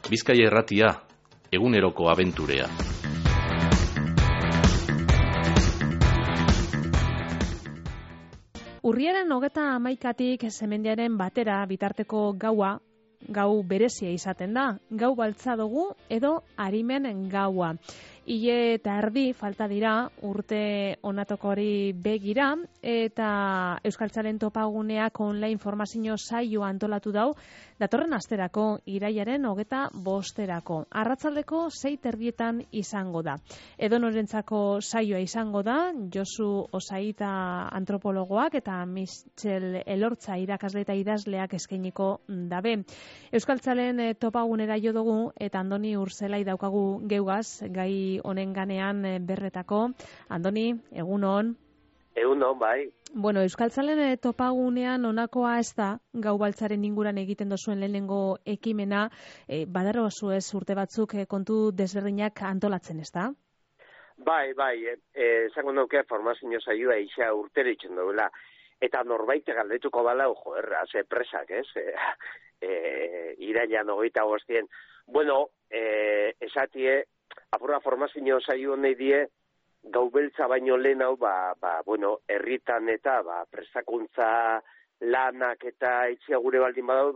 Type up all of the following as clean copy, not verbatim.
Bizkaia Irratia, eguneroko abenturea. Urriaren 31tik Semendiaren batera bitarteko gau berezia izaten da. Gau baltza dugu edo arimen gaua. Ile eta erdi falta dira urte onatokori begira eta Euskaltzaren topaguneak online informazio saioa antolatu dau datorren asterako irailaren 25erako. Arratsaldeko 6:30 izango da. Edonorentzako saioa izango da, Josu Osaita antropologoak eta Michel Elortza irakasle eta idazleak eskainiko dabe. Euskaltzaren topagunera jo dugu eta Andoni Urzelai daukagu geugaz gai honen ganean berretako. Andoni, egunon. Egunon, bai. Bueno, Euskaltzalen topagunean honakoa ez da, gau baltzaren inguran egiten dozuen lehenengo ekimena, badaro ez urte batzuk kontu desberdinak antolatzen, ez da? Bai, esango nuke formazio saioa isa urtero itzen duela. Eta norbait galdetuko bala, ze presak, ez? Irailan 25. Bueno, esatie, apurra formazio saio nahi die, gau beltza baino lehen hau, herritan eta prestakuntza lanak eta itxia gure baldin badau,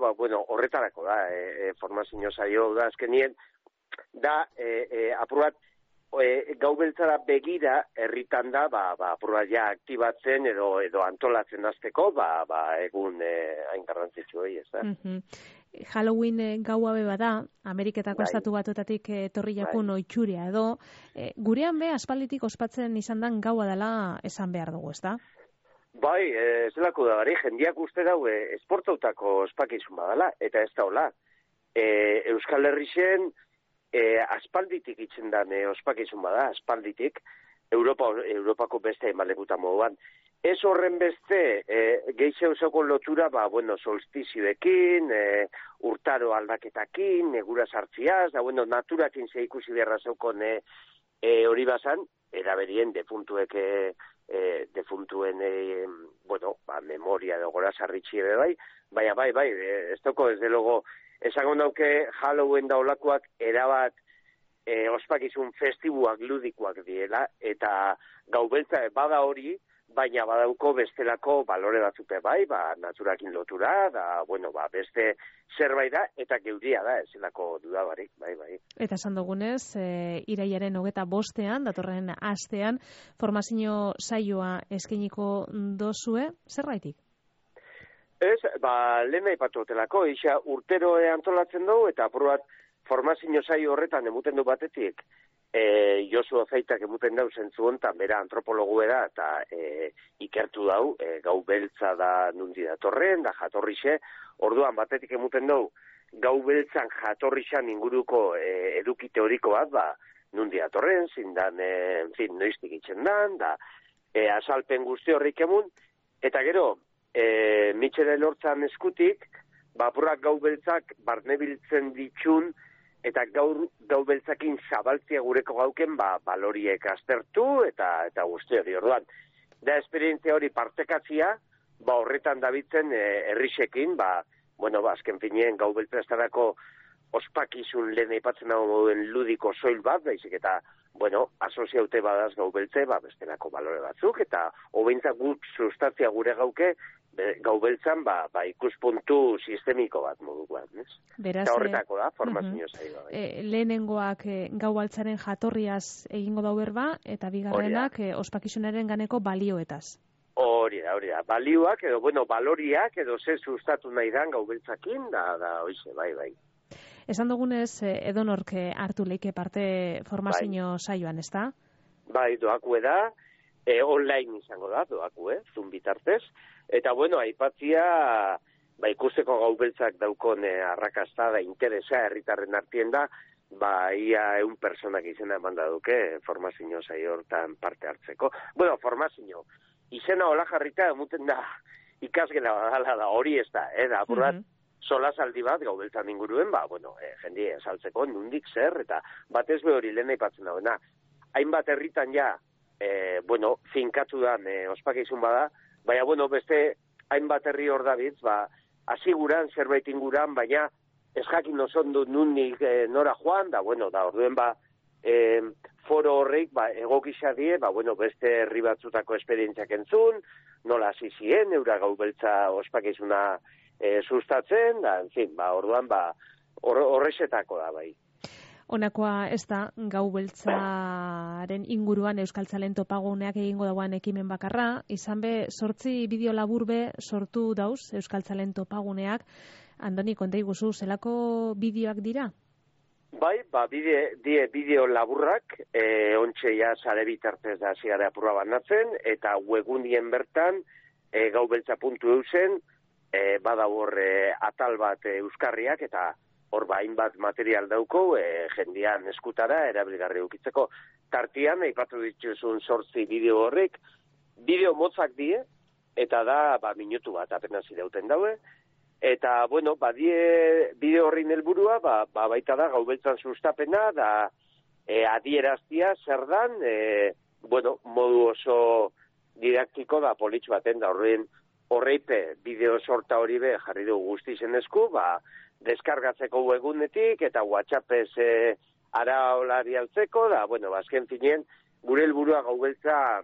horretarako da, formazio saio da azkenien, da, apurrat, gau beltzara begira herritan da, apurrat ja aktibatzen edo antolatzen azteko, egun hain garrantzitsu hori, ez da? Halloween gaua beba da, Ameriketako estatu batuetatik etorri jakun oitxuria edo, gurean be aspalditik ospatzen izan dan gaua dela esan behar dugu, ez da? Bai, ez delako da, jendiak uste dau esportautako ospakizun badala, eta ez da hola. Euskal Herrixen aspalditik itzen dan ospakizun bada, aspalditik, Europako beste emalekuta moduan. Ez horren beste, gehize osoko lotura, solstizioekin, urtaro aldaketakin, negura sartziaz, naturakin ze ikusi beharra zeukon hori bazan, eraberien defuntuen, memoria edo gora sarritxi bai, ez doko, ez delogo, esango nauke Halloween daulakoak erabat ospakizun festibuak ludikoak diela, eta gau beltza bada hori, baina badauko bestelako balore batzute bai, naturakin lotura, beste zerbait da, eta geuria da, ezelako dudabarik, bai. Eta esan dugunez, irailaren 25ean, datorren astean, formazio saioa eskainiko dozue, zerbaitik? Ez, lehen aipatu hotelako, isa urtero antolatzen dugu, eta aprobat formazio saio horretan emuten du batetik, Josu Ozaitak emuten dau zentzu hontan, bera antropologu da, eta ikertu dau, gau beltza da nundi datorren, da jatorrixe, orduan batetik emuten dau, gau beltzan jatorrixan inguruko eduki teoriko bat, nundi datorren, zindan, noiztik itxen dan, da, azalpen guzti horrik emun, eta gero, Michel Elortzan eskutik, apurrak gau beltzak barnebiltzen ditxun, eta gau beltzakin zabaltzia gureko gauken, baloriek aztertu, eta guzti hori orduan. Da, esperientzia hori partekatzia, horretan dabitzen herrixekin, azken finien gau beltza estarako ospakizun lehen aipatzen dago moduen ludiko soil bat, baizik eta, asoziaute badaz gau beltze, bestelako balore batzuk, eta hobeintzak guk sustatzia gure gauke, gau beltzan, ikuspuntu sistemiko bat modukoan, ez? Eta horretako da, formazio zaila. Lehenengoak gau baltzaren jatorriaz egingo dau berba, eta bigarrenak ospakizunaren ganeko balioetaz. Hori da, balioak, edo, baloriak, edo ze sustatu nahi dan gau beltzakin, da, oize, bai. Esan dugunez, edonork hartu leike parte formazio saioan, ez da? Bai, doakue da, online izango da, Zoom bitartez, eta aipatzia, ikusteko gau beltzak daukon arrakasta da interesa herritarren artien da, ia 100 personak izena eman da duke formazio saio hortan parte hartzeko. Formazio, izena hola jarrita emuten da ikasgela badala da, hori ez da, apurrat, solasaldi bat gau beltzan inguruen, jendie esaltzeko, nundik zer, eta batez be hori lehen aipatzen dagoena. Hainbat herritan ja, finkatu dan ospakizun bada, baina, beste hainbat herri hor dabitz, asiguran, zerbait inguran, baina ez jakin oso ondo nunik nora joan, da, bueno, da, orduen foro horreik, egokisa die, beste herri batzutako esperientziak entzun, nola hasi zien, eura gau beltza ospakizuna sustatzen, da, en fin, orduan, horrexetako da, bai. Honakoa ez da, gau beltzaren inguruan Euskaltzalen topaguneak egingo dagoen ekimen bakarra, izan be, 8 bideo labur be sortu dauz Euskaltzalen topaguneak. Andoni, konta iguzu, zelako bideoak dira? Bai, bideo laburrak, ontxe ja sare bitartez da zigara apurra banatzen, eta webgunien bertan, gaubeltza.eusen, badabor atal bat euskarriak, eta hor hainbat material dauko, jendean eskutara, erabilgarri ukitzeko. Tartian, aipatu dituzun 8 bideo horrek, bideo motzak die, eta da, minutu bat apenas irauten daue, eta, bueno, bideo horrin helburua, baita da, gaubeltzan sustapena, da, adieraztia zer dan, modu oso didaktiko da politx baten, da horreipe bideo sorta hori be jarri dugu guztizen esku, deskargatzeko webgunetik eta WhatsAppez araolari altzeko, da, azken finien, gure helburua gaubeltza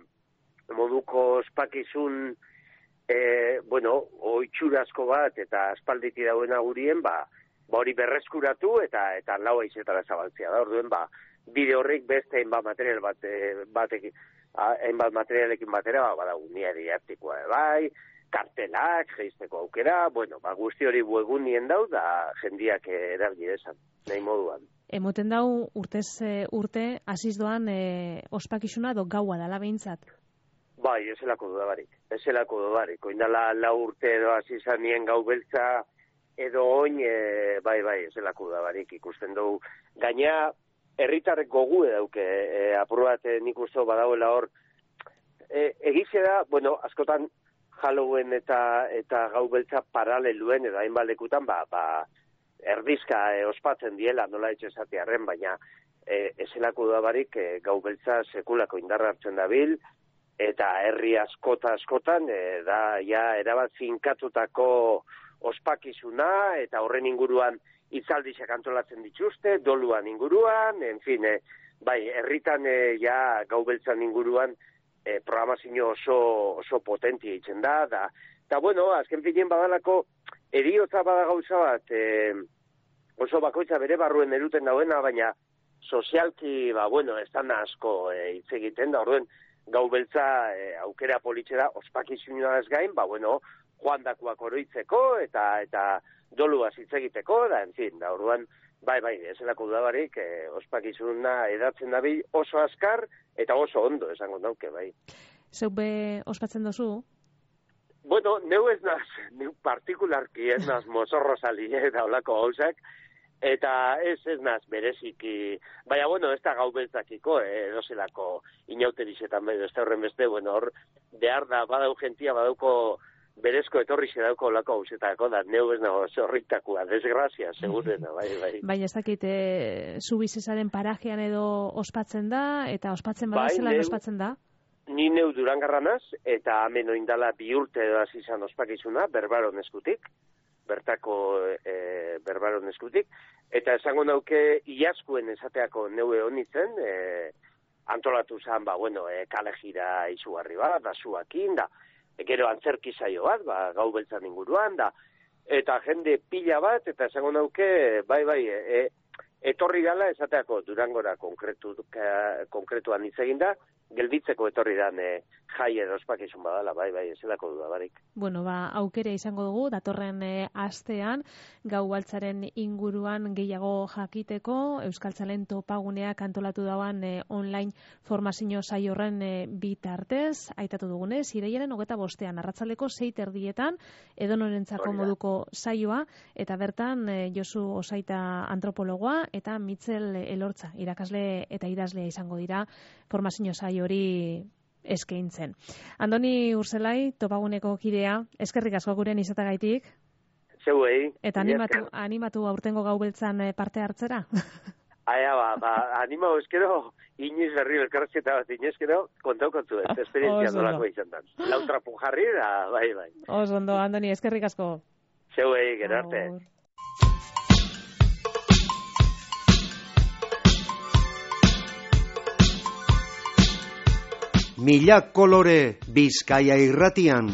moduko ospakizun oitxurazko bat eta aspalditi dauen agurien, hori berreskuratu eta lau aizetara zabaltzea da. Orduen, bideo horrik beste hainbat materialekin batera, unia didaktikoa bai, kartelak, geizteko aukera, guzti hori webgunien dau, da jendiak erabili desan, nahi moduan. Emoten dau urtez urte, hasiz doan ospakizuna do gaua dala behintzat? Bai, ezelako dudarik. Oindala 4 urte edo hasi zanien gau beltza edo oin, bai, ezelako dudarik ikusten dugu. Gaina, herritarrek gogu edauke, apur bat nik uste badauela hor, egize da, askotan Halloween eta gau beltza paraleluen edo hainbat lekutan, erdizka ospatzen diela, nola etxezatearen, baina ezelako dudarik gau beltza sekulako indarra hartzen dabil, eta herri askotan, erabat finkatutako ospakizuna, eta horren inguruan hitzaldiak antolatzen dituzte, doluan inguruan, en fin, herritan gau beltzan inguruan programazio oso potentia itzen da, eta azken finien badalako, eriotza bada gauza bat, oso bakoitza bere barruen eruten dauena, baina sozialki, ez da asko hitz egiten da, orduen, gau beltza aukera politxera ospakizunua ez gain, joandakoak oroitzeko eta doluaz hitz egiteko, da, en fin, da, orduan, ezelako dudabarik, ospakizuna edatzen dabil oso azkar eta oso ondo, esango dauke, bai. Zeu be ospatzen dozu? Neu ez naz, neu partikularki ez naz mozorro sali, da olako gauzak, eta ez naz bereziki, baina, ez da gau beltzakiko, edozelako inauterizetan bedo, ez da horren beste, hor, behar da, badau gentia, badauko berezko etorri zedauko olako hausetako, da neu ez nago zorritakoa, desgrazia, segurena, bai. Baina ez dakit, zubizezaren parajean edo ospatzen da, eta ospatzen bada zelan ospatzen da? Ni neu Durangarranaz, eta hemen oindala 2 urte edo hasi izan ospakizuna, berbaron eskutik, eta esango nauke iaskuen esateako neue honitzen, antolatu zen, kale jira izugarri bat, da zuakin, da, gero antzerki saio bat, gau beltzan inguruan, da, eta jende pila bat, eta esango nauke, etorri gala esateako Durangora konkretuan hitz egin da, gelditzeko etorri dan jai edo ospakizun badala, ezelako dudabarik. Aukera izango dugu, datorren astean, gau baltzaren inguruan gehiago jakiteko, Euskaltzalen topaguneak antolatu dauan online formazio saio horren bitartez, aitatu dugunez, irailaren 25 arratsaldeko 6:30 edonorentzako moduko saioa, eta bertan Josu Osaita antropologoa eta Mitzel Elortza, irakasle eta idazlea izango dira formazio saio hori eskaintzen. Andoni Urzelai, topaguneko kidea, eskerrik asko guren izatagaitik. Zeuei. Eta animatu aurtengo gau beltzan parte hartzera? Animau eskero, inoiz berri elkarrezketa bat inezkero, kontaukontzu, esperientzia dolako izan da. Lautrapu jarri da, bai. Oso ondo, Andoni, eskerrik asko. Zeuei, gero arte. Mila kolore Bizkaia irratian.